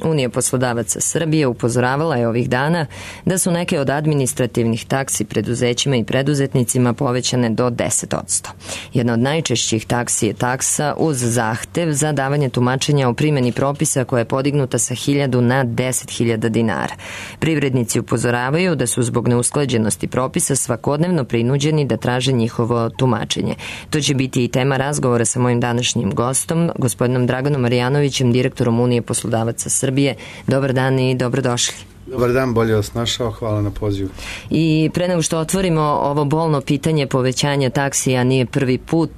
Unija poslodavaca Srbije upozoravala je ovih dana da su neke od administrativnih taksi preduzećima i preduzetnicima povećane do 10%. Jedna od najčešćih taksi je taksa uz zahtev za davanje tumačenja o primjeni propisa koja je podignuta sa 1.000 na 10.000 dinara. Privrednici upozoravaju da su zbog neusklađenosti propisa svakodnevno prinuđeni da traže njihovo tumačenje. To će biti i tema razgovora sa mojim današnjim gostom, gospodinom Draganom Marjanovićem, direktorom Unije poslodavaca Srbije. Dobar dan i dobrodošli. Dobar dan, bolje vas našao, hvala na pozivu. I pre nego što otvorimo ovo bolno pitanje povećanja taksija, nije prvi put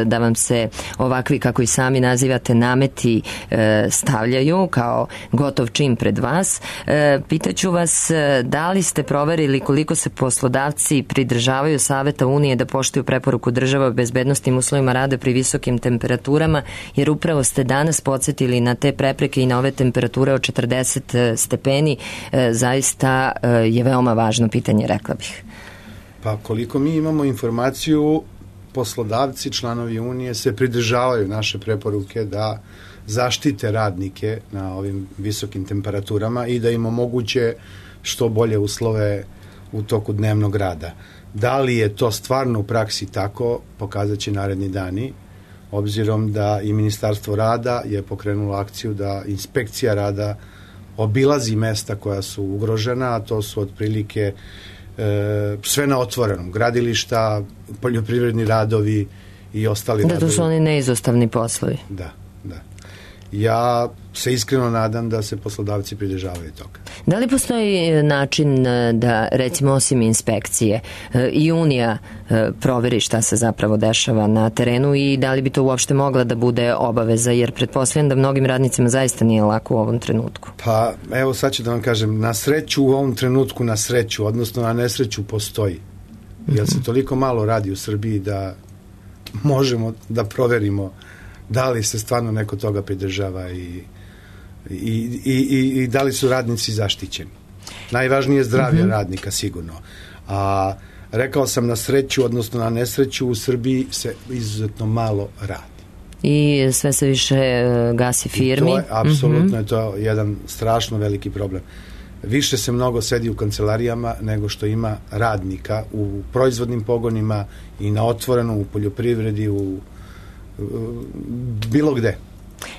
da vam se ovakvi, kako i sami nazivate, nameti stavljaju kao gotov čin pred vas. Pitaću vas, da li ste proverili koliko se poslodavci pridržavaju Saveta Unije da poštuju preporuku država o bezbednosnim uslovima rada pri visokim temperaturama, jer upravo ste danas podsjetili na te prepreke i na ove temperature od 40 stepeni. Zaista je veoma važno pitanje, rekla bih. Pa koliko mi imamo informaciju, poslodavci, članovi Unije se pridržavaju naše preporuke da zaštite radnike na ovim visokim temperaturama i da im omoguće što bolje uslove u toku dnevnog rada. Da li je to stvarno u praksi tako, pokazat će naredni dani, obzirom da i Ministarstvo rada je pokrenulo akciju da inspekcija rada obilazi mesta koja su ugrožena, a to su otprilike sve na otvorenom, gradilišta, poljoprivredni radovi i ostali radovi. Da, to su oni neizostavni poslovi. Da. Ja se iskreno nadam da se poslodavci pridržavaju toga. Da li postoji način da, recimo, osim inspekcije, i Unija proveri šta se zapravo dešava na terenu i da li bi to uopšte mogla da bude obaveza, jer pretpostavljam da mnogim radnicima zaista nije lako u ovom trenutku? Pa, evo sad ću da vam kažem, na sreću u ovom trenutku, odnosno na nesreću postoji. Jer se toliko malo radi u Srbiji da možemo da proverimo da li se stvarno neko toga pridržava i da li su radnici zaštićeni. Najvažnije je zdravlje radnika, sigurno. A rekao sam, na sreću, odnosno na nesreću, u Srbiji se izuzetno malo radi. I sve se više gasi firmi. To je, apsolutno je to jedan strašno veliki problem. Više se mnogo sedi u kancelarijama nego što ima radnika u proizvodnim pogonima i na otvorenom, u poljoprivredi, u bilo gde.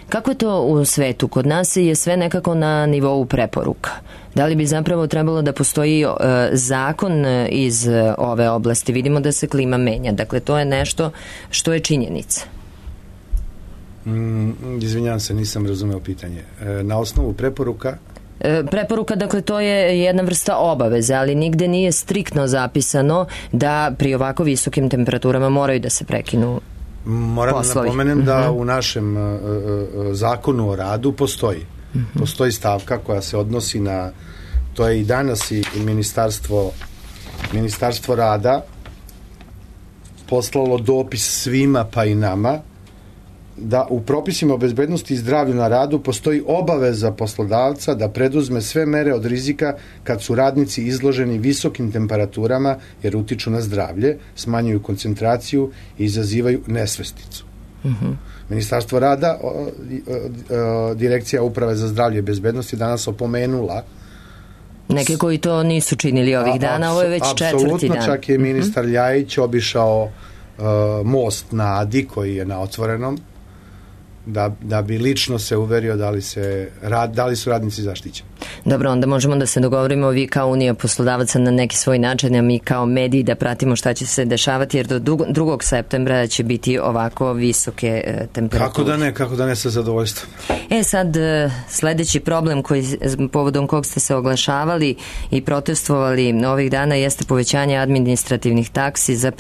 Kako je to u svetu? Kod nas je sve nekako na nivou preporuka. Da li bi zapravo trebalo da postoji zakon iz ove oblasti? Vidimo da se klima menja. Dakle, to je nešto što je činjenica. Izvinjavam se, nisam razumeo pitanje. Na osnovu preporuka? Preporuka, dakle, to je jedna vrsta obaveze, ali nigde nije striktno zapisano da pri ovako visokim temperaturama moraju da se prekinu moram poslovi. Da napomenem da u našem zakonu o radu postoji stavka koja se odnosi na, to je i danas i Ministarstvo rada poslalo dopis svima pa i nama da u propisima o bezbednosti i zdravlju na radu postoji obaveza poslodavca da preduzme sve mere od rizika kad su radnici izloženi visokim temperaturama jer utiču na zdravlje, smanjuju koncentraciju i izazivaju nesvesticu. Ministarstvo rada, Direkcija Uprave za zdravlje i bezbednost je danas opomenula neke koji to nisu činili ovih dana, ovo je već četvrti dan. Apsolutno, čak je ministar Ljajić obišao most na Adi koji je na otvorenom da bi lično se uverio da li su radnici zaštićeni. Dobro, onda možemo da se dogovorimo vi kao Unija poslodavaca na neki svoj način, a mi kao mediji da pratimo šta će se dešavati, jer do 2. septembra će biti ovako visoke temperature. Kako da ne sa zadovoljstvom. Sad, sledeći problem povodom kog ste se oglašavali i protestovali ovih dana jeste povećanje administrativnih taksi za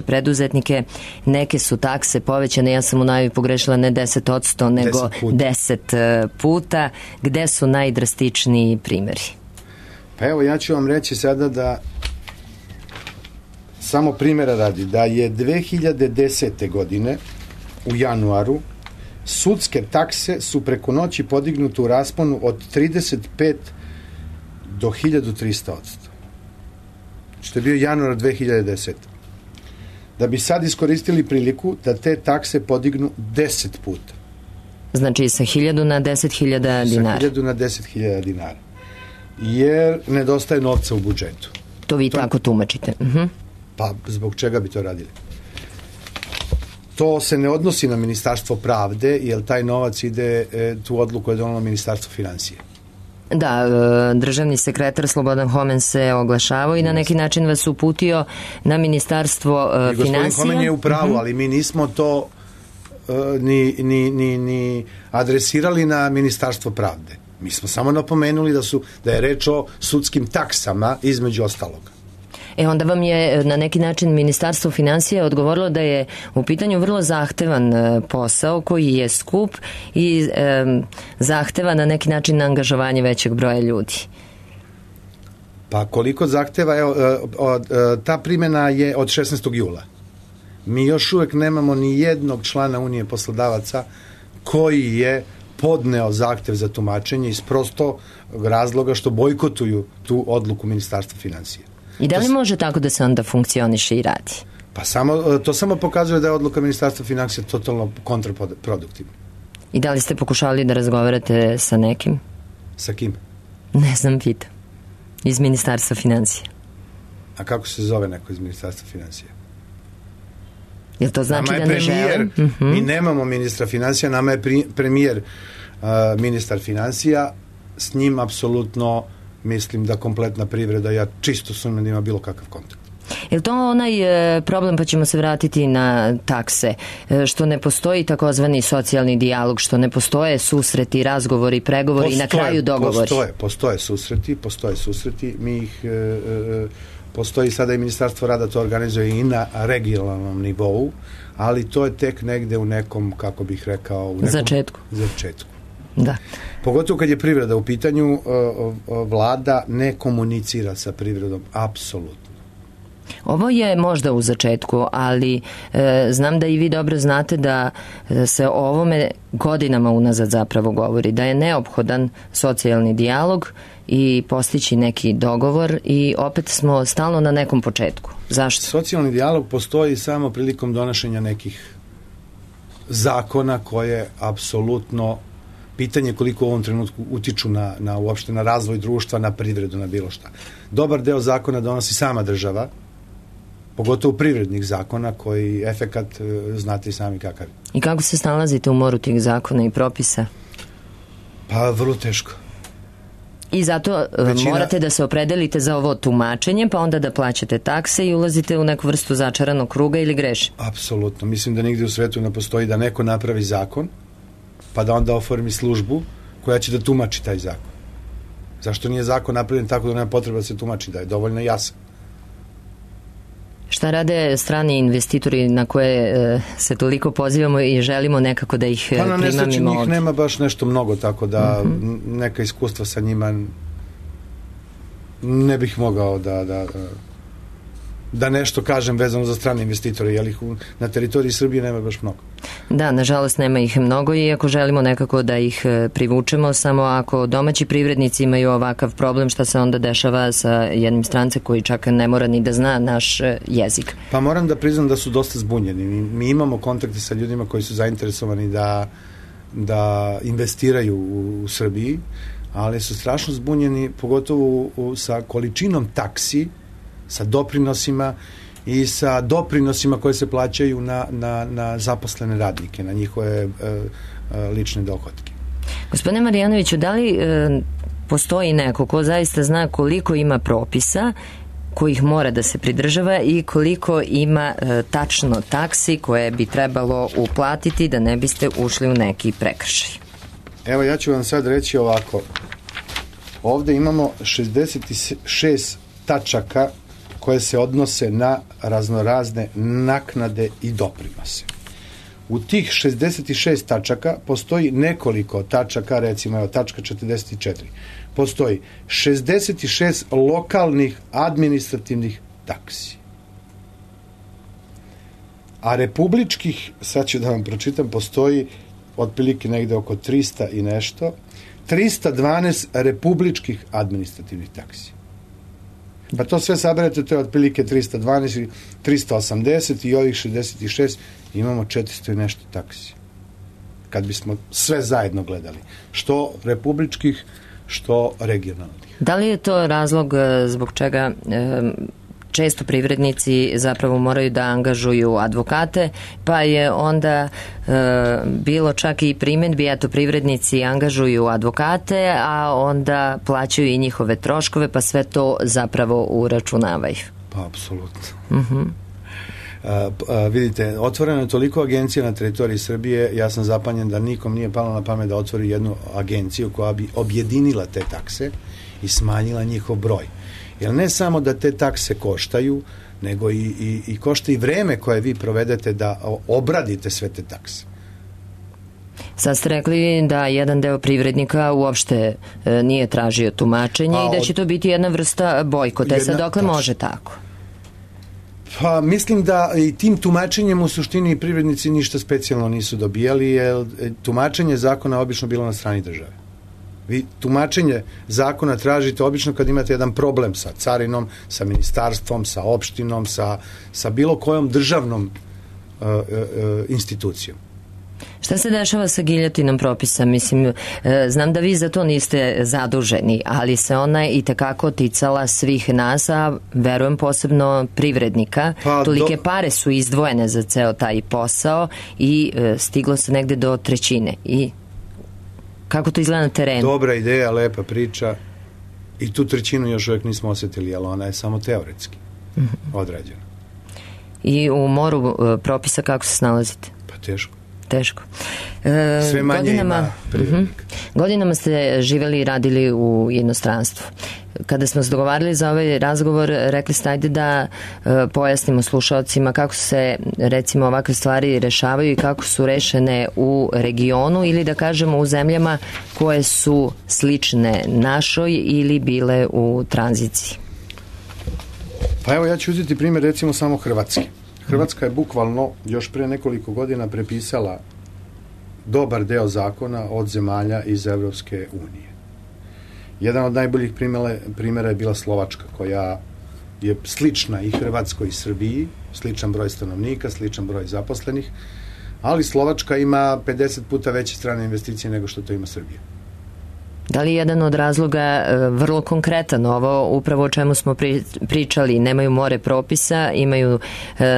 preduzetnike. Neke su takse povećane, ja sam u najavi pogrešila, ne 10%, nego 10 puta. Gde su najdrastičniji primjeri? Pa evo, ja ću vam reći sada da samo primjera radi, da je 2010. godine u januaru sudske takse su preko noći podignute u rasponu od 35 do 1300%. Što je bio januar 2010. Da bi sad iskoristili priliku da te takse podignu 10 puta. Znači sa 1.000 na 10.000 dinara. Sa 1.000 na 10.000 dinara. Jer nedostaje novca u budžetu. To vi tako tumačite. Pa zbog čega bi to radili? To se ne odnosi na Ministarstvo pravde, jer taj novac ide, tu odluku je donalo Ministarstvo finansije. Da, državni sekretar Slobodan Homen se oglašavao i na neki način vas uputio na Ministarstvo finansija. Gospodin Homen je u pravu, ali mi nismo to ni adresirali na Ministarstvo pravde. Mi smo samo napomenuli da je reč o sudskim taksama između ostaloga. Onda vam je na neki način Ministarstvo finansija odgovorilo da je u pitanju vrlo zahtevan posao koji je skup i zahteva na neki način angažovanje većeg broja ljudi. Pa koliko zahteva, ta primjena je od 16. jula. Mi još uvek nemamo ni jednog člana Unije poslodavaca koji je podneo zahtev za tumačenje iz prostog razloga što bojkotuju tu odluku Ministarstva finansija. I da li može tako da se onda funkcioniše i radi? Pa to samo pokazuje da je odluka Ministarstva finansija totalno kontraproduktivna. I da li ste pokušali da razgovarate sa nekim? Sa kim? Ne znam, pitam. Iz Ministarstva finansija. A kako se zove neko iz Ministarstva finansija? Jel to znači da ne žele? Mi nemamo ministra finansija, nama je premijer ministar finansija, s njim apsolutno mislim da kompletna privreda, ja čisto sumnjam da ima bilo kakav kontakt. Je li to onaj problem, pa ćemo se vratiti na takse, što ne postoji takozvani socijalni dijalog, što ne postoje susreti, razgovori, pregovori i na kraju dogovori? Postoje susreti, mi ih postoji sada i Ministarstvo rada, to organizuje i na regionalnom nivou, ali to je tek negde u nekom, kako bih rekao, začetku. Da. Pogotovo kad je privreda u pitanju, vlada ne komunicira sa privredom, apsolutno. Ovo je možda u začetku, ali znam da i vi dobro znate da se o ovome godinama unazad zapravo govori, da je neophodan socijalni dijalog i postići neki dogovor i opet smo stalno na nekom početku. Zašto? Socijalni dijalog postoji samo prilikom donošenja nekih zakona koje apsolutno pitanje koliko u ovom trenutku utiču uopšte na razvoj društva, na privredu, na bilo šta. Dobar deo zakona donosi sama država, pogotovo privrednih zakona koji efekat znate i sami kakav. I kako se snalazite u moru tih zakona i propisa? Pa vrlo teško. I zato morate da se opredelite za ovo tumačenje, pa onda da plaćate takse i ulazite u neku vrstu začaranog kruga ili grešim? Apsolutno. Mislim da nigde u svetu ne postoji da neko napravi zakon, pa da onda oformi službu koja će da tumači taj zakon. Zašto nije zakon napravljen tako da nema potreba da se tumači, da je dovoljno jasan? Šta rade strani investitori na koje se toliko pozivamo i želimo nekako da ih primamimo ovdje? Pa na nesreći njih nema baš nešto mnogo, tako da neka iskustva sa njima ne bih mogao da nešto kažem vezano za strane investitore, jer ih na teritoriji Srbije nema baš mnogo. Da, nažalost nema ih mnogo i ako želimo nekako da ih privučemo, samo ako domaći privrednici imaju ovakav problem, šta se onda dešava sa jednim strancem koji čak ne mora ni da zna naš jezik? Pa moram da priznam da su dosta zbunjeni. Mi imamo kontakte sa ljudima koji su zainteresovani da investiraju u Srbiji, ali su strašno zbunjeni, pogotovo sa količinom taksi, sa doprinosima i sa doprinosima koje se plaćaju na zaposlene radnike, na njihove lične dohotke. Gospodine Marjanoviću, da li postoji neko ko zaista zna koliko ima propisa kojih mora da se pridržava i koliko ima tačno taksi koje bi trebalo uplatiti da ne biste ušli u neki prekršaj? Evo, ja ću vam sad reći ovako. Ovde imamo 66 tačaka koje se odnose na raznorazne naknade i doprinose. U tih 66 tačaka postoji nekoliko tačaka, recimo evo tačka 44. Postoji 66 lokalnih administrativnih taksi. A republičkih, sad ću da vam pročitam, postoji otprilike negde oko 300 i nešto, 312 republičkih administrativnih taksi. Pa to sve saberete, to je otprilike 312 i 380 i ovih 66 imamo 400 i nešto taksi. kad bismo sve zajedno gledali, što republičkih, što regionalnih. Da li je to razlog zbog čega često privrednici zapravo moraju da angažuju advokate, pa je onda bilo čak i primjedbi, eto privrednici angažuju advokate, a onda plaćaju i njihove troškove, pa sve to zapravo uračunavaju. Pa, apsolutno. Vidite, otvoreno je toliko agencija na teritoriji Srbije, ja sam zapanjen da nikom nije palo na pamet da otvori jednu agenciju koja bi objedinila te takse i smanjila njihov broj. Jer ne samo da te takse koštaju, nego i košta i vreme koje vi provedete da obradite sve te takse. Sad ste rekli da jedan deo privrednika uopšte nije tražio tumačenje i da će to biti jedna vrsta bojkota. Sad dokle može tako? Pa mislim da i tim tumačenjem u suštini privrednici ništa specijalno nisu dobijali, jer tumačenje zakona obično bilo na strani države. Vi tumačenje zakona tražite obično kad imate jedan problem sa carinom, sa ministarstvom, sa opštinom, sa bilo kojom državnom institucijom. Šta se dešava sa giljotinom propisa? Mislim, znam da vi za to niste zaduženi, ali se ona i tekako ticala svih nas, a verujem posebno privrednika. Tolike pare su izdvojene za ceo taj posao i stiglo se negde do 1/3. I kako to izgleda na terenu? Dobra ideja, lepa priča. I tu 1/3 još uvijek nismo osjetili, ali ona je samo teoretski odrađena. I u moru propisa kako se snalazite? Pa teško. Sve manje ima privrednika. Godinama ste živeli i radili u inostranstvu. Kada smo se dogovarali za ovaj razgovor, rekli ste ajde da pojasnimo slušalcima kako se recimo ovakve stvari rešavaju i kako su rešene u regionu ili da kažemo u zemljama koje su slične našoj ili bile u tranziciji. Pa evo ja ću uzeti primjer recimo samo Hrvatske. Hrvatska je bukvalno još pre nekoliko godina prepisala dobar deo zakona od zemalja iz Evropske unije. Jedan od najboljih primjera je bila Slovačka, koja je slična i Hrvatskoj i Srbiji, sličan broj stanovnika, sličan broj zaposlenih, ali Slovačka ima 50 puta veće strane investicije nego što to ima Srbija. Da li je jedan od razloga vrlo konkretan ovo, upravo o čemu smo pričali, nemaju more propisa, imaju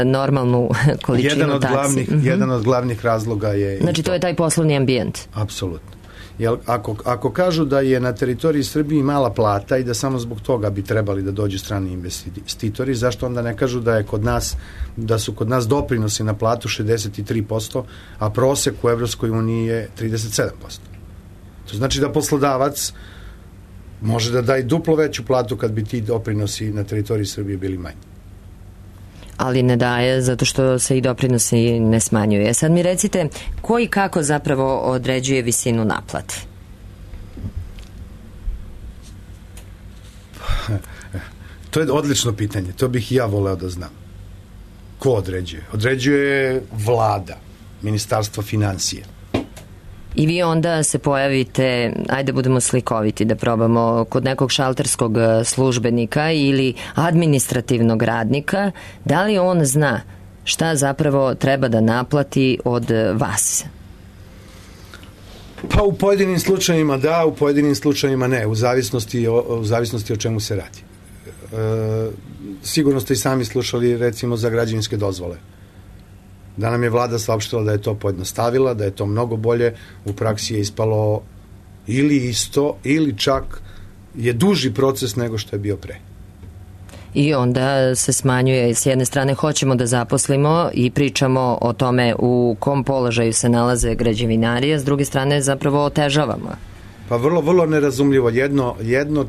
normalnu količinu taksi? Jedan od glavnih razloga je... Znači to je taj poslovni ambijent? Apsolutno. Jer ako kažu da je na teritoriji Srbiji mala plata i da samo zbog toga bi trebali da dođu strani investitori, zašto onda ne kažu da su kod nas doprinosi na platu 63%, a prosek u Evropskoj uniji je 37%. To znači da poslodavac može da daje duplo veću platu kad bi ti doprinosi na teritoriji Srbije bili manji. Ali ne daje zato što se i doprinosi ne smanjuje. Sad mi recite, ko i kako zapravo određuje visinu naplate? To je odlično pitanje. To bih i ja voleo da znam. Ko određuje? Određuje vlada, Ministarstvo finansije. I vi onda se pojavite, ajde budemo slikoviti da probamo, kod nekog šalterskog službenika ili administrativnog radnika, da li on zna šta zapravo treba da naplati od vas? Pa u pojedinim slučajima da, u pojedinim slučajima ne, u zavisnosti o čemu se radi. Sigurno ste i sami slušali recimo za građevinske dozvole. Da nam je vlada saopštila da je to pojednostavila, da je to mnogo bolje, u praksi je ispalo ili isto, ili čak je duži proces nego što je bio pre. I onda se smanjuje, s jedne strane hoćemo da zaposlimo i pričamo o tome u kom položaju se nalaze građevinari, a s druge strane zapravo otežavamo. Pa vrlo nerazumljivo. Jedno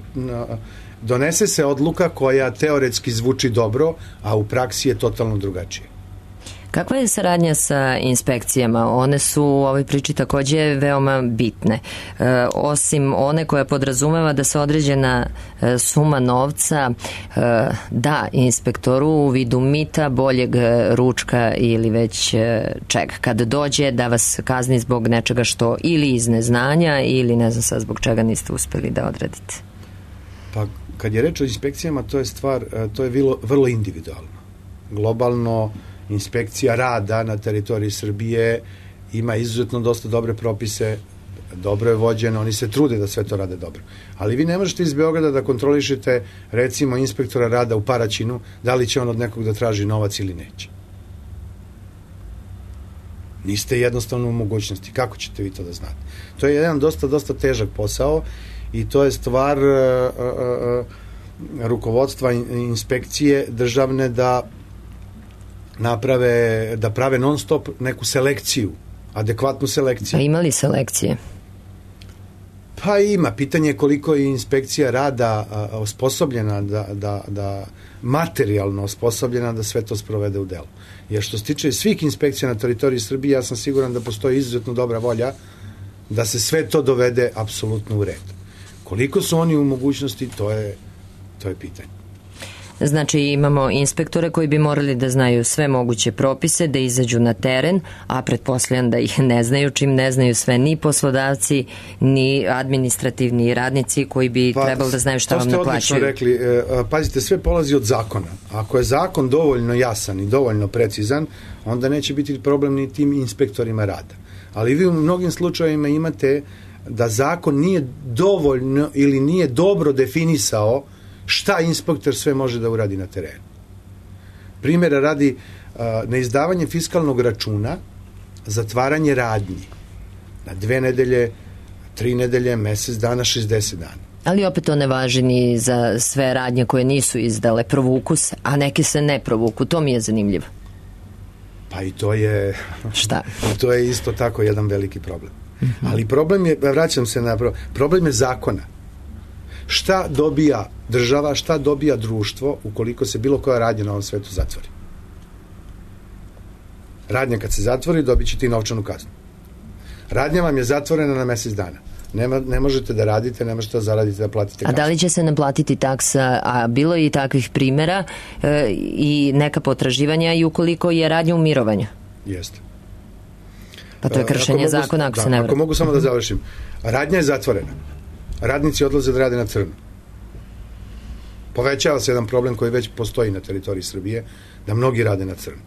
donese se odluka koja teoretski zvuči dobro, a u praksi je totalno drugačije. Kakva je saradnja sa inspekcijama? One su u ovoj priči takođe veoma bitne. Osim one koja podrazumeva da se određena suma novca da inspektoru u vidu mita, boljeg ručka ili već čega. Kad dođe da vas kazni zbog nečega što ili iz neznanja ili ne znam sad zbog čega niste uspeli da odradite. Pa kad je reč o inspekcijama, to je vrlo individualno. Globalno inspekcija rada na teritoriji Srbije ima izuzetno dosta dobre propise, dobro je vođeno, oni se trude da sve to rade dobro. Ali vi ne možete iz Beograda da kontrolišete, recimo, inspektora rada u Paraćinu, da li će on od nekog da traži novac ili neće. Niste jednostavno u mogućnosti. Kako ćete vi to da znate? To je jedan dosta težak posao i to je stvar rukovodstva inspekcije državne da prave non stop neku selekciju, adekvatnu selekciju. A ima li selekcije? Pa ima. Pitanje je koliko je inspekcija rada osposobljena da materijalno osposobljena da sve to sprovede u delo. Jer što se tiče svih inspekcija na teritoriji Srbije, ja sam siguran da postoji izuzetno dobra volja da se sve to dovede apsolutno u red. Koliko su oni u mogućnosti, to je pitanje. Znači imamo inspektore koji bi morali da znaju sve moguće propise, da izađu na teren, a pretpostavljam da ih ne znaju, čim ne znaju sve ni poslodavci, ni administrativni radnici koji bi trebali da znaju šta vam naplaćuju. To ste odlično rekli. Pazite, sve polazi od zakona. Ako je zakon dovoljno jasan i dovoljno precizan, onda neće biti problem ni tim inspektorima rada. Ali vi u mnogim slučajevima imate da zakon nije dovoljno ili nije dobro definisao šta inspektor sve može da uradi na terenu. Primjera radi neizdavanje fiskalnog računa, zatvaranje radnji na 2 nedelje, 3 nedelje, mesec dana, 60 dana. Ali opet to ne važi ni za sve radnje koje nisu izdale, provuku se, a neke se ne provuku. To mi je zanimljivo. Pa i to je... Šta? To je isto tako jedan veliki problem. Ali problem je, vraćam se na problem je zakona. Šta dobija država, šta dobija društvo ukoliko se bilo koja radnja na ovom svetu zatvori? Radnja kad se zatvori dobit ćete i novčanu kaznu. Radnja vam je zatvorena na mesec dana. Ne možete da radite, ne možete da zaradite, da platite kaznu. A da li će se naplatiti taksa? A bilo je i takvih primjera i neka potraživanja i ukoliko je radnja u mirovanju? Jeste. Pa to je kršenje zakona, ako se ne vrati. Ako mogu samo da završim. Radnja je zatvorena. Radnici odlaze da rade na crno. Povećava se jedan problem koji već postoji na teritoriji Srbije, da mnogi rade na crno.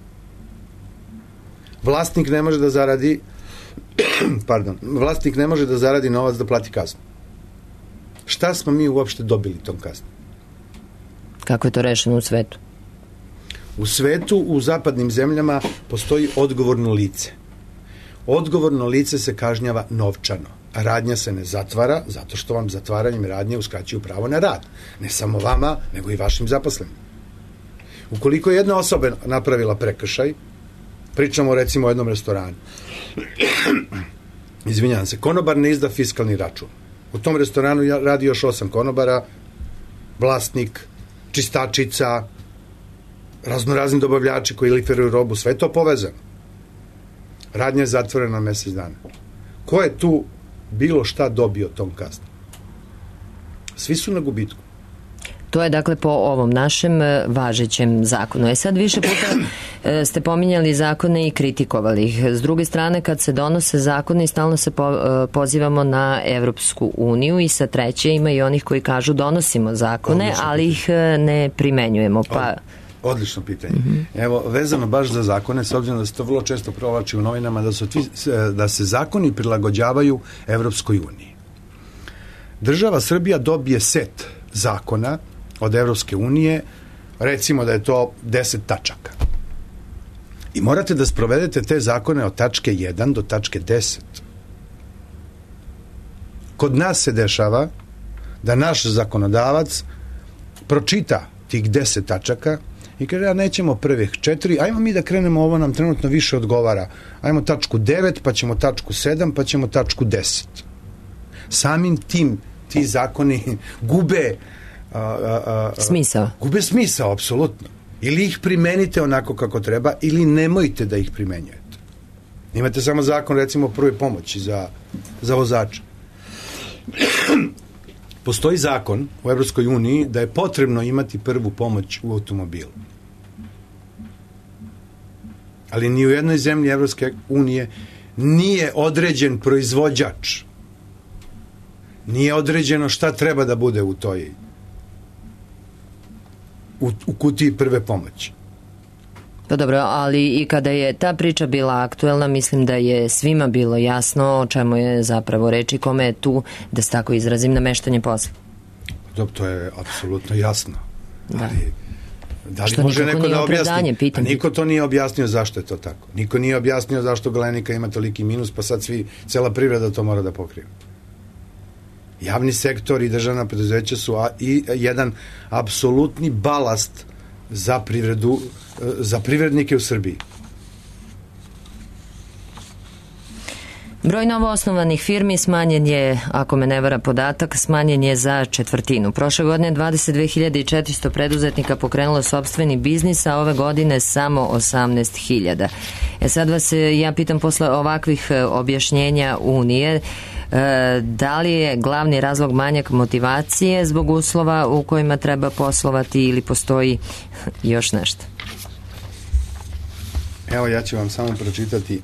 Vlasnik ne može da zaradi vlasnik ne može da zaradi novac da plati kaznu. Šta smo mi uopšte dobili tom kaznom? Kako je to rešeno u svetu? U svetu, u zapadnim zemljama postoji odgovorno lice. Odgovorno lice se kažnjava novčano. Radnja se ne zatvara zato što vam zatvaranjem radnje uskraćuju pravo na rad. Ne samo vama, nego i vašim zaposlenim. Ukoliko je jedna osoba napravila prekršaj, pričamo recimo o jednom restoranu. Izvinjavam se, konobar ne izda fiskalni račun. U tom restoranu radi još 8 konobara, vlasnik, čistačica, raznorazni dobavljači koji liferuju robu, sve to povezano. Radnja je zatvorena na mesec dana. Ko je tu bilo šta dobio tom kaznom? Svi su na gubitku. To je dakle po ovom našem važećem zakonu. Sad više puta ste pominjali zakone i kritikovali ih. S druge strane, kad se donose zakone, stalno se pozivamo na Evropsku uniju i sa treće ima i onih koji kažu donosimo zakone, ali ih ne primenjujemo. Odlično pitanje. Evo, vezano baš za zakone, s obzirom da se to vrlo često provlači u novinama, da se zakoni prilagođavaju Evropskoj uniji. Država Srbija dobije set zakona od Evropske unije, recimo da je to 10 tačaka. I morate da sprovedete te zakone od tačke 1 do tačke 10. Kod nas se dešava da naš zakonodavac pročita tih 10 tačaka i kaže, ja nećemo prvih 4, ajmo mi da krenemo, ovo nam trenutno više odgovara. Ajmo tačku 9, pa ćemo tačku 7, pa ćemo tačku 10. Samim tim ti zakoni gube smisao. Gube smisao, apsolutno. Ili ih primenite onako kako treba, ili nemojte da ih primenjujete. Imate samo zakon, recimo, o prvoj pomoći za vozača. Postoji zakon u Evropskoj uniji da je potrebno imati prvu pomoć u automobilu. Ali ni u jednoj zemlji Evropske unije nije određen proizvođač. Nije određeno šta treba da bude u toj u kutiji prve pomoći. Pa dobro, ali i kada je ta priča bila aktuelna, mislim da je svima bilo jasno o čemu je zapravo reč i kome je tu, da se tako izrazim, nameštanje posla. Dobro, to je apsolutno jasno. Da. Ali da li što može neko da objasni? Pitam. Niko to nije objasnio zašto je to tako. Niko nije objasnio zašto Galenika ima toliki minus, pa sad cela privreda to mora da pokrije. Javni sektor i državna preduzeća su i jedan apsolutni balast za privredu, za privrednike u Srbiji. Broj novoosnovanih firmi smanjen je, ako me ne vara podatak, smanjen je za četvrtinu. Prošle godine 22.400 preduzetnika pokrenulo sopstveni biznis, a ove godine samo 18.000. Sad vas ja pitam posle ovakvih objašnjenja Unije, da li je glavni razlog manjak motivacije zbog uslova u kojima treba poslovati ili postoji još nešto? Evo, ja ću vam samo pročitati,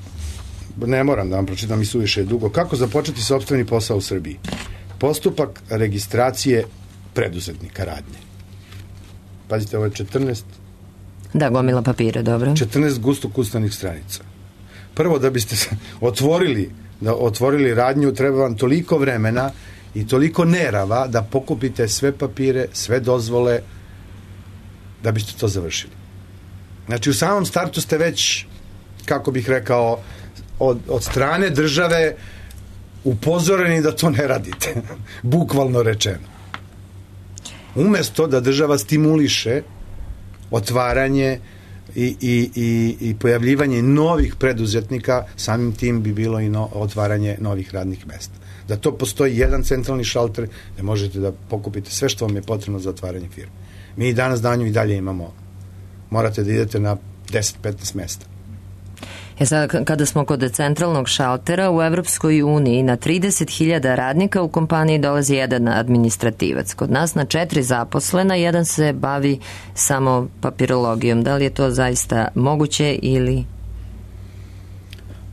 ne moram da vam pročitam i suviše dugo, kako započeti sopstveni posao u Srbiji. Postupak registracije preduzetnika radnje. Pazite, ovo je 14... Da, gomila papira, dobro. 14 gusto kucanih stranica. Prvo, da biste otvorili radnju, treba vam toliko vremena i toliko nerava da pokupite sve papire, sve dozvole, da biste to završili. Znači, u samom startu ste već, kako bih rekao, od strane države upozoreni da to ne radite. Bukvalno rečeno. Umesto da država stimuliše otvaranje i pojavljivanje novih preduzetnika, samim tim bi bilo i otvaranje novih radnih mesta. Da to postoji jedan centralni šalter gde možete da pokupite sve što vam je potrebno za otvaranje firme. Mi danas danju i dalje imamo, morate da idete na 10-15 mesta. Sad, kada smo kod centralnog šaltera, u Evropskoj uniji na 30.000 radnika u kompaniji dolazi jedan administrativac. Kod nas na 4 zaposlena, jedan se bavi samo papirologijom. Da li je to zaista moguće ili...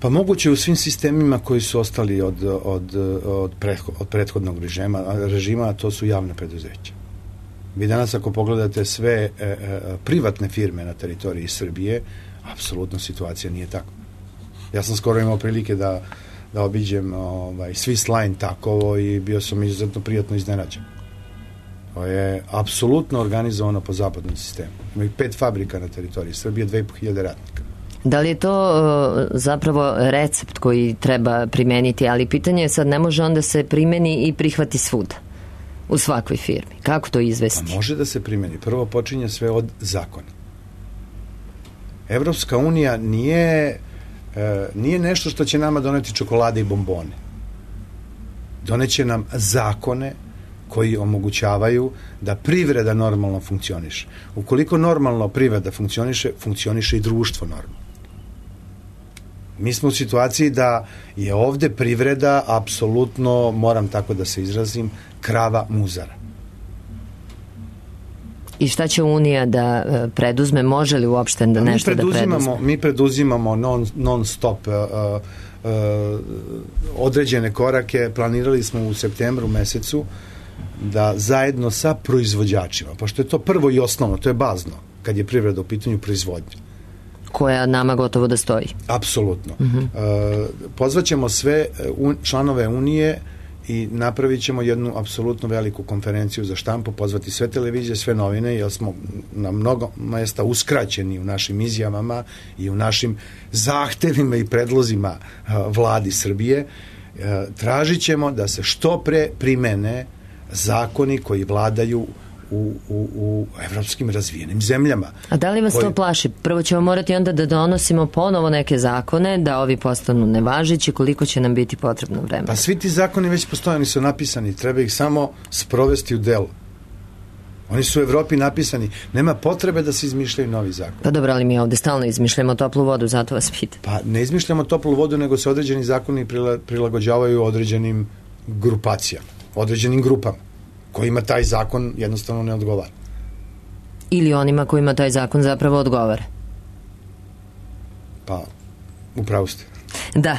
Pa moguće u svim sistemima koji su ostali od prethodnog režima, a to su javne preduzeća. Vi danas ako pogledate sve privatne firme na teritoriji Srbije, apsolutno situacija nije tako. Ja sam skoro imao prilike da obiđem Swiss Line takovo i bio sam izuzetno prijatno iznenađen. To je apsolutno organizovano po zapadnom sistemu. Ima i 5 fabrika na teritoriji Srbije, 2.500 radnika. Da li je to zapravo recept koji treba primeniti, ali pitanje je sad, ne može onda se primeni i prihvati svuda, u svakoj firmi. Kako to izvesti? Pa može da se primeni. Prvo počinje sve od zakona. Evropska unija nije nešto što će nama doneti čokolade i bombone. Doneće nam zakone koji omogućavaju da privreda normalno funkcioniše. Ukoliko normalno privreda funkcioniše i društvo normalno. Mi smo u situaciji da je ovde privreda apsolutno, moram tako da se izrazim, krava muzara. I šta će Unija da preduzme? Može li uopšte da nešto da preduzme? Mi preduzimamo non stop određene korake. Planirali smo u septembru mesecu da zajedno sa proizvođačima, pošto je to prvo i osnovno, to je bazno, kad je privreda u pitanju proizvodnje. Koja nama gotovo da stoji. Apsolutno. Pozvaćemo sve članove Unije i napravit ćemo jednu apsolutno veliku konferenciju za štampu, pozvati sve televizije, sve novine, jer smo na mnogo mesta uskraćeni u našim izjavama i u našim zahtevima i predlozima vladi Srbije. Tražit ćemo da se što pre primene zakoni koji vladaju u evropskim razvijenim zemljama. A da li vas to plaši? Prvo ćemo morati onda da donosimo ponovo neke zakone, da ovi postanu nevažeći, koliko će nam biti potrebno vremena? Pa svi ti zakoni već postoje, oni su napisani, treba ih samo sprovesti u delo. Oni su u Evropi napisani, nema potrebe da se izmišljaju novi zakon. Pa dobro, ali mi ovde stalno izmišljamo toplu vodu, zato vas pitam. Pa ne izmišljamo toplu vodu, nego se određeni zakoni prilagođavaju određenim grupacijama, određenim grupama kojima taj zakon jednostavno ne odgovara. Ili onima kojima taj zakon zapravo odgovara. Pa, upravo ste. Da.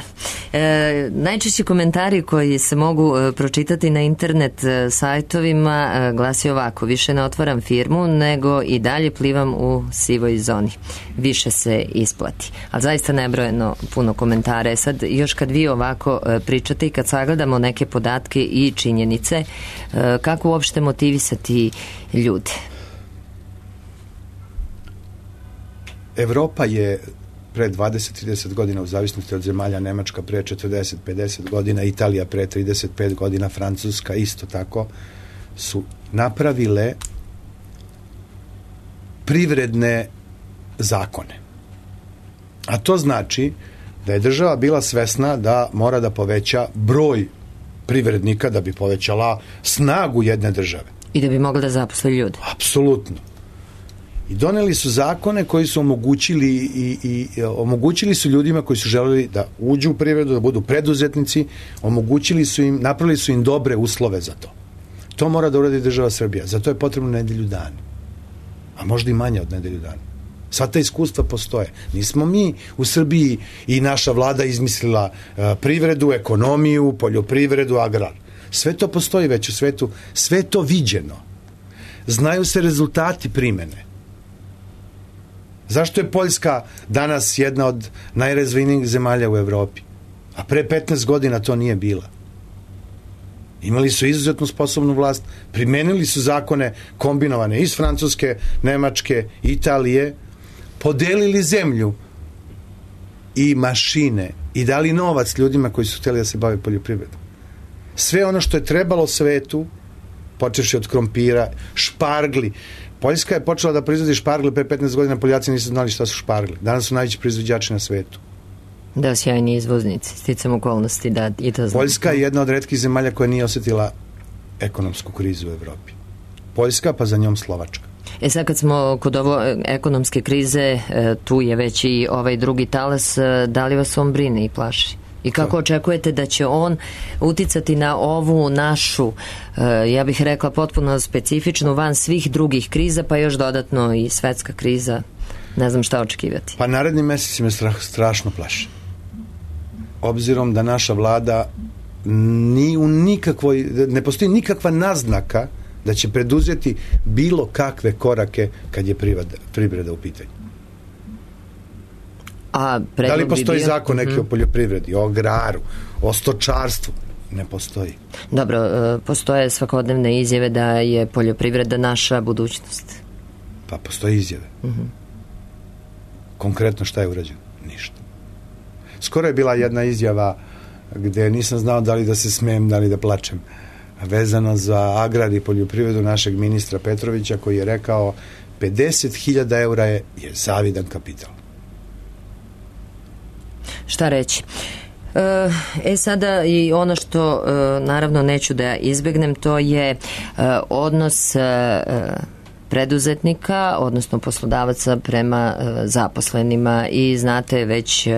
Najčešći komentari koji se mogu pročitati na internet sajtovima glasi ovako: više ne otvaram firmu, nego i dalje plivam u sivoj zoni. Više se isplati. Ali zaista nebrojeno puno komentara. Sad, još kad vi ovako pričate i kad sagledamo neke podatke i činjenice, kako uopšte motivisati ljude? Evropa je pre 20-30 godina, u zavisnosti od zemalja, Nemačka pre 40-50 godina, Italija pre 35 godina, Francuska isto tako, su napravile privredne zakone. A to znači da je država bila svesna da mora da poveća broj privrednika da bi povećala snagu jedne države. I da bi mogla da zaposle ljude. Apsolutno. I doneli su zakone koji su omogućili i omogućili su ljudima koji su želeli da uđu u privredu, da budu preduzetnici, omogućili su im, napravili su im dobre uslove za to. To mora da uradi država Srbija. Za to je potrebno nedelju dana. A možda i manje od nedelju dana. Sva ta iskustva postoje. Nismo mi u Srbiji i naša vlada izmislila privredu, ekonomiju, poljoprivredu, agrar. Sve to postoji već u svetu. Sve to viđeno. Znaju se rezultati primene. Zašto je Poljska danas jedna od najrazvijenijih zemalja u Evropi? A pre 15 godina to nije bila. Imali su izuzetno sposobnu vlast, primenili su zakone kombinovane iz Francuske, Nemačke, Italije, podelili zemlju i mašine i dali novac ljudima koji su htjeli da se bave poljoprivredom. Sve ono što je trebalo svetu, počevši od krompira, špargli. Poljska je počela da proizvodi špargle pre 15 godina, Poljaci nisu znali šta su špargle. Danas su najveći proizvođači na svetu. Da, sjajni izvoznici, sticam okolnosti da i to znam. Poljska je jedna od retkih zemalja koja nije osjetila ekonomsku krizu u Evropi. Poljska, pa za njom Slovačka. Sad kad smo kod ovo ekonomske krize, tu je već i ovaj drugi talas, da li vas on brine i plaši? I kako očekujete da će on uticati na ovu našu, ja bih rekla, potpuno specifičnu, van svih drugih kriza, pa još dodatno i svetska kriza? Ne znam šta očekivati. Pa naredni meseci me strašno plaše. Obzirom da naša vlada ne postoji nikakva naznaka da će preduzeti bilo kakve korake kad je privreda u pitanju. Da li postoji zakon neki o poljoprivredi, o agraru, o stočarstvu? Ne postoji. Dobro, postoje svakodnevne izjave da je poljoprivreda naša budućnost. Pa postoje izjave. Konkretno šta je urađeno? Ništa. Skoro je bila jedna izjava gde nisam znao da li da se smijem, da li da plačem, vezano za agrar i poljoprivredu našeg ministra Petrovića, koji je rekao 50.000 eura je zavidan kapital. Šta reći? Sada i ono što naravno neću da izbegnem, to je odnos preduzetnika, odnosno poslodavaca prema zaposlenima, i znate već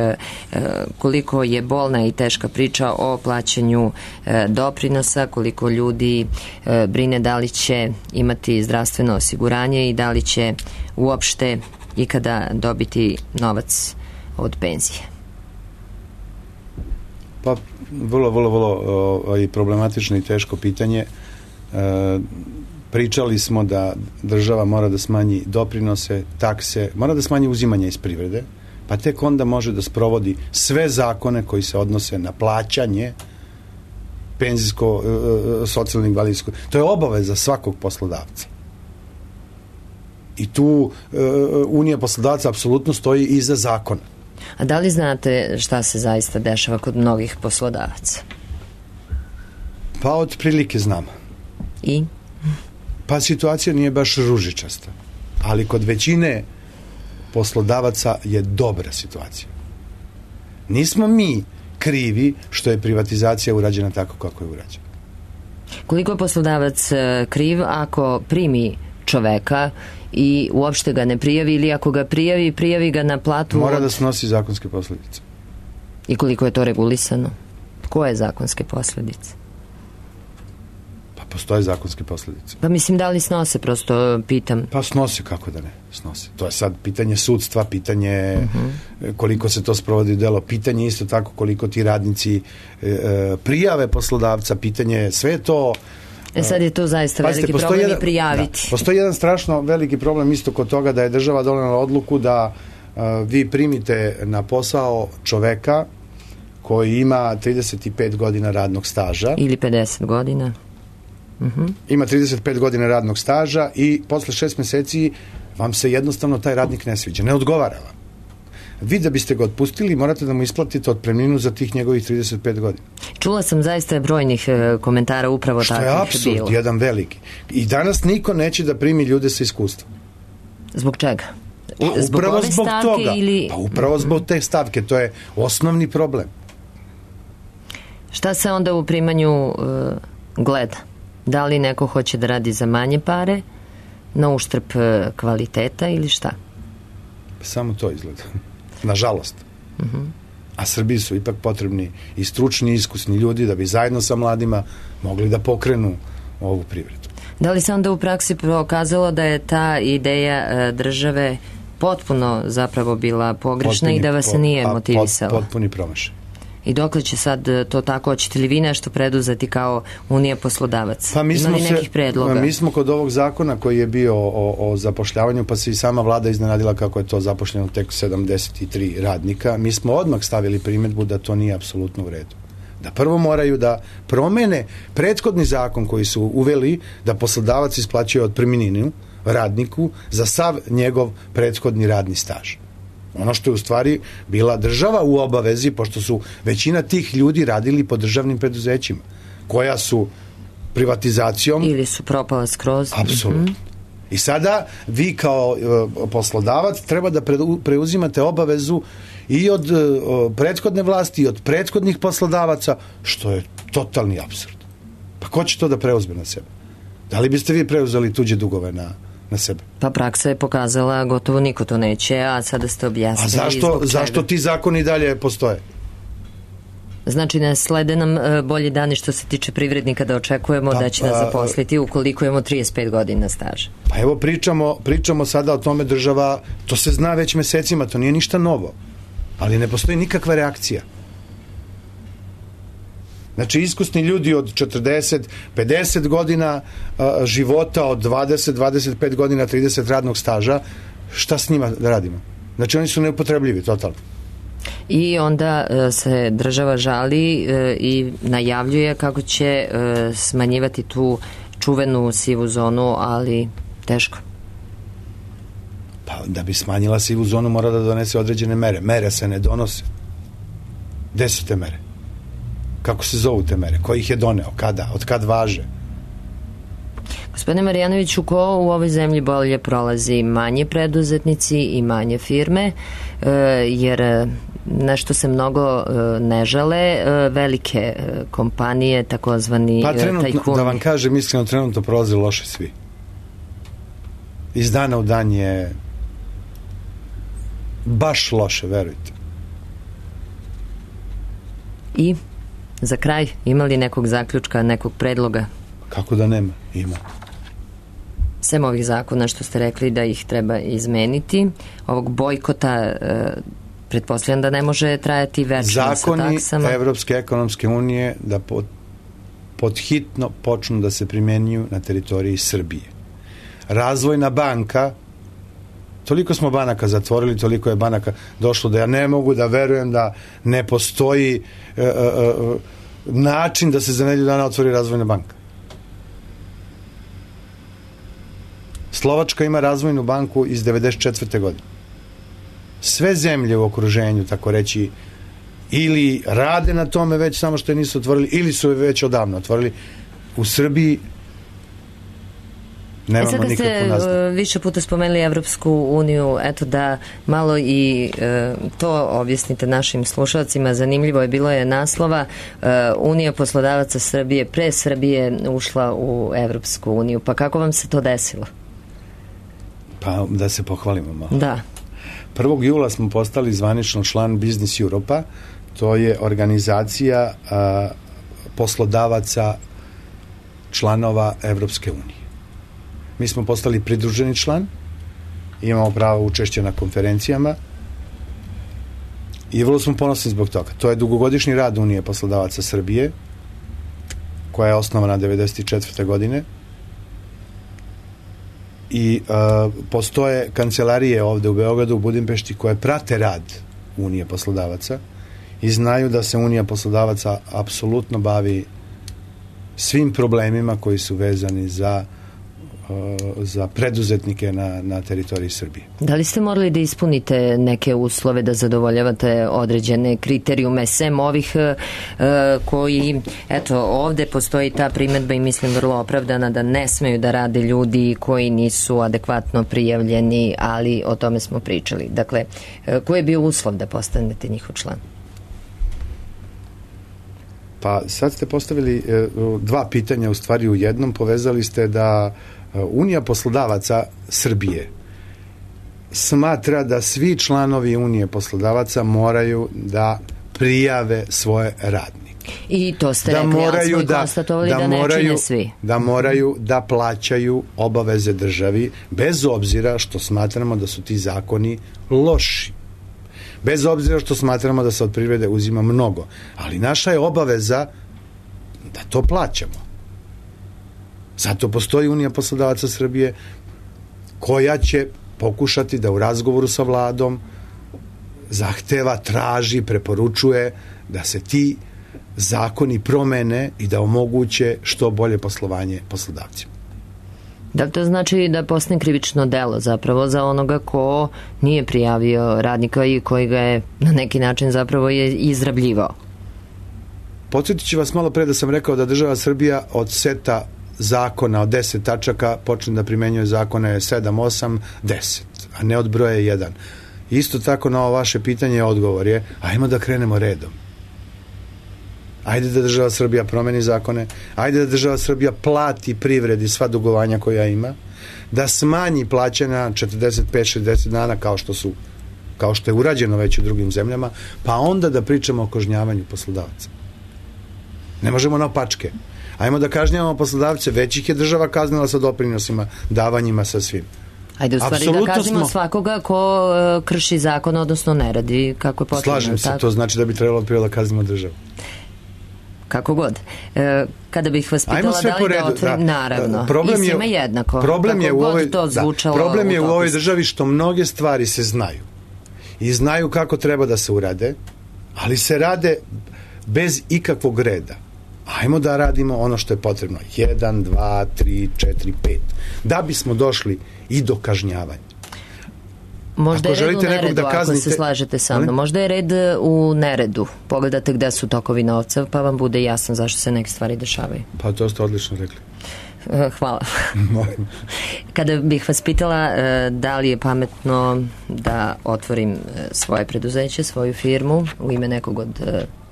koliko je bolna i teška priča o plaćanju doprinosa, koliko ljudi brine da li će imati zdravstveno osiguranje i da li će uopšte ikada dobiti novac od penzije. Pa vrlo problematično i teško pitanje. Pričali smo da država mora da smanji doprinose, takse, mora da smanji uzimanje iz privrede, pa tek onda može da sprovodi sve zakone koji se odnose na plaćanje penzijsko, socijalno invalidsko. To je obaveza svakog poslodavca. I tu Unija poslodavaca apsolutno stoji iza zakona. A da li znate šta se zaista dešava kod mnogih poslodavaca? Pa otprilike znamo. I? Pa situacija nije baš ružičasta, ali kod većine poslodavaca je dobra situacija. Nismo mi krivi što je privatizacija urađena tako kako je urađena. Koliko je poslodavac kriv ako primi čoveka i uopšte ga ne prijavi, ili ako ga prijavi ga na platu? Mora da snosi zakonske posljedice. I koliko je to regulisano? Koje zakonske posljedice? Pa postoje zakonske posledice. Pa mislim, da li snose, prosto pitam. Pa snose, kako da ne snose. To je sad pitanje sudstva, pitanje koliko se to sprovodi u delo, pitanje isto tako koliko ti radnici prijave poslodavca, pitanje, sve to. Sad je to zaista veliki problem i prijaviti. Da, postoji jedan strašno veliki problem isto kod toga da je država donela odluku da vi primite na posao čoveka koji ima 35 godina radnog staža. Ili 50 godina. Ima 35 godina radnog staža i posle 6 meseci vam se jednostavno taj radnik ne sviđa, ne odgovara vam. Vi da biste ga otpustili morate da mu isplatite otpremninu za tih njegovih 35 godina. Čula sam zaista brojnih komentara upravo takvih bilo. Što je apsurd, jedan veliki. I danas niko neće da primi ljude sa iskustvom. Zbog čega? Upravo zbog toga. Pa upravo zbog te stavke, to je osnovni problem. Šta se onda u primanju gleda? Da li neko hoće da radi za manje pare, na uštrb kvaliteta ili šta? Samo to izgleda. Nažalost. A Srbiji su ipak potrebni i stručni, i iskusni ljudi da bi zajedno sa mladima mogli da pokrenu ovu privredu. Da li se onda u praksi pokazalo da je ta ideja države potpuno zapravo bila pogrešna i da vas se nije motivisala? Potpuni promašaj. I dokle će sad to tako? Hoćete li vi nešto preduzeti kao Unija poslodavaca? Pa ima li nekih predloga? Mi smo kod ovog zakona koji je bio o zapošljavanju, pa se i sama vlada iznenadila kako je to zapošljeno tek 73 radnika. Mi smo odmah stavili primedbu da to nije apsolutno u redu. Da prvo moraju da promene prethodni zakon koji su uveli da poslodavac isplaćuje otpremninu radniku za sav njegov prethodni radni staž. Ono što je u stvari bila država u obavezi, pošto su većina tih ljudi radili po državnim preduzećima, koja su privatizacijom... Ili su propala skroz. Apsolutno. I sada vi kao poslodavac treba da preuzimate obavezu i od prethodne vlasti i od prethodnih poslodavaca, što je totalni apsurd. Pa ko će to da preuzme na sebe? Da li biste vi preuzeli tuđe dugove na sebe? Pa praksa je pokazala gotovo niko to neće, a sada ste objasnili. A zašto ti zakoni dalje postoje? Znači ne slede nam bolji dani što se tiče privrednika da očekujemo da će nas zaposliti ukoliko imamo 35 godina staža. Pa evo pričamo sada o tome, država, to se zna već mesecima, to nije ništa novo, ali ne postoji nikakva reakcija. Znači, iskusni ljudi od 40, 50 godina života, od 20, 25 godina, 30 radnog staža, šta s njima da radimo? Znači, oni su neupotrebljivi, totalno. I onda se država žali i najavljuje kako će smanjivati tu čuvenu sivu zonu, ali teško. Pa da bi smanjila sivu zonu mora da donese određene mere. Mere se ne donose. Gde su te mere? Kako se zovu te mere? Ko ih je doneo? Kada? Od kad važe? Gospodine Marjanoviću, ko u ovoj zemlji bolje prolazi? Manje preduzetnici i manje firme, jer nešto se mnogo ne žale, velike kompanije, takozvani tajkuni. Pa trenutno, da vam kažem, iskreno, trenutno prolaze loše svi. Iz dana u dan je baš loše, verujte. I za kraj, ima li nekog zaključka, nekog predloga? Kako da nema? Ima. Sem ovih zakona što ste rekli da ih treba izmeniti, ovog bojkota, pretpostavljam da ne može trajati večno sa taksama. Zakoni Evropske ekonomske unije da podhitno počnu da se primenjuju na teritoriji Srbije. Razvojna banka, toliko smo banaka zatvorili, toliko je banaka došlo da ja ne mogu da verujem da ne postoji način da se za nedelju dana otvori razvojna banka. Slovačka ima razvojnu banku iz 94. godine. Sve zemlje u okruženju, tako reći, ili rade na tome već, samo što je nisu otvorili, ili su je već odavno otvorili. U Srbiji nemamo nikakvu nastavu. Sada ste više puta spomenuli Evropsku uniju, eto da malo i to objasnite našim slušalcima. Zanimljivo je bilo je naslova Unija poslodavaca Srbije pre Srbije ušla u Evropsku uniju. Pa kako vam se to desilo? Pa da se pohvalimo malo. Da. 1. jula smo postali zvanično član Business Europa, to je organizacija poslodavaca članova Evropske unije. Mi smo postali pridruženi član, imamo pravo učešća na konferencijama i vrlo smo ponosni zbog toga. To je dugogodišnji rad Unije poslodavaca Srbije, koja je osnovana 1994. godine i postoje kancelarije ovde u Beogradu, u Budimpešti, koje prate rad Unije poslodavaca i znaju da se Unija poslodavaca apsolutno bavi svim problemima koji su vezani za preduzetnike na teritoriji Srbije. Da li ste morali da ispunite neke uslove da zadovoljavate određene kriterijume sem ovih koji, eto, ovde postoji ta primedba i mislim vrlo opravdana da ne smeju da rade ljudi koji nisu adekvatno prijavljeni, ali o tome smo pričali. Dakle, koji je bio uslov da postanete njihov član? Pa sad ste postavili dva pitanja u stvari u jednom, povezali ste da Unija poslodavaca Srbije smatra da svi članovi Unije poslodavaca moraju da prijave svoje radnike. I to ste rekli, ali smo i konstatovali da ne čine svi. Da moraju da plaćaju obaveze državi, bez obzira što smatramo da su ti zakoni loši. Bez obzira što smatramo da se od privrede uzima mnogo. Ali naša je obaveza da to plaćamo. Zato postoji Unija poslodavaca Srbije koja će pokušati da u razgovoru sa vladom zahteva, traži, preporučuje da se ti zakoni promene i da omoguće što bolje poslovanje poslodavcima. Da li to znači da postane krivično delo zapravo za onoga ko nije prijavio radnika i koji ga je na neki način zapravo je izrabljivao? Podsjetit ću vas malo pre da sam rekao da država Srbija od seta zakona od 10 tačaka počne da primenjuje zakone 7, 8, 10, a ne od broja 1. Isto tako na ovo vaše pitanje odgovor je, ajmo da krenemo redom. Ajde da država Srbija promeni zakone, ajde da država Srbija plati privredi sva dugovanja koja ima, da smanji plaćanja 45-60 dana kao što je urađeno već u drugim zemljama, pa onda da pričamo o kažnjavanju poslodavaca. Ne možemo na opačke. Ajmo da kažnjavamo poslodavce, već ih je država kaznila sa doprinosima, davanjima, sa svim. Ajde, u stvari da kaznimo svakoga ko krši zakon, odnosno ne radi kako je potrebno. Slažem se, to znači da bi trebalo prvo da kaznimo državu. Kako god. Kada bih vas pitala da li da otvorim, naravno, i svima jednako. Problem je u ovoj državi što mnoge stvari se znaju. I znaju kako treba da se urade, ali se rade bez ikakvog reda. Ajmo da radimo ono što je potrebno. 1, 2, 3, 4, 5. Da bismo došli i do kažnjavanja. Možda je red u neredu, ako se slažete sa mnom. Možda je red u neredu. Pogledate gde su tokovi novca, pa vam bude jasno zašto se neke stvari dešavaju. Pa to ste odlično rekli. Hvala. Kada bih vas pitala da li je pametno da otvorim svoje preduzeće, svoju firmu u ime nekog od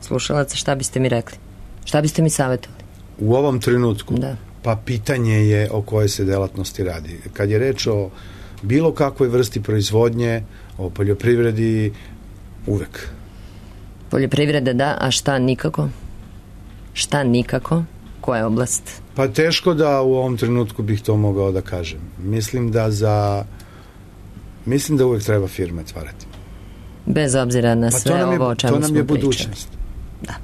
slušalaca, šta biste mi rekli? Šta biste mi savjetovali? U ovom trenutku? Da. Pa pitanje je o kojoj se delatnosti radi. Kad je reč o bilo kakvoj vrsti proizvodnje, o poljoprivredi, uvek. Poljoprivreda da, a šta nikako? Šta nikako? Koja je oblast? Pa teško da u ovom trenutku bih to mogao da kažem. Mislim da uvek treba firme otvarati. Bez obzira na sve ovo o čemu smo pričali. To nam je budućnost. Da.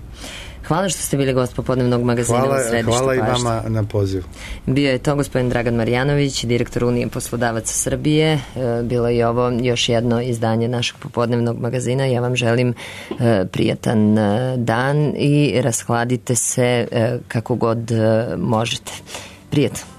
Hvala što ste bili gost popodnevnog magazina u Središtu Pašte. Hvala i vama na pozivu. Bio je to gospodin Dragan Marjanović, direktor Unije poslodavaca Srbije. Bilo je ovo još jedno izdanje našeg popodnevnog magazina. Ja vam želim prijatan dan i rashladite se kako god možete. Prijatno.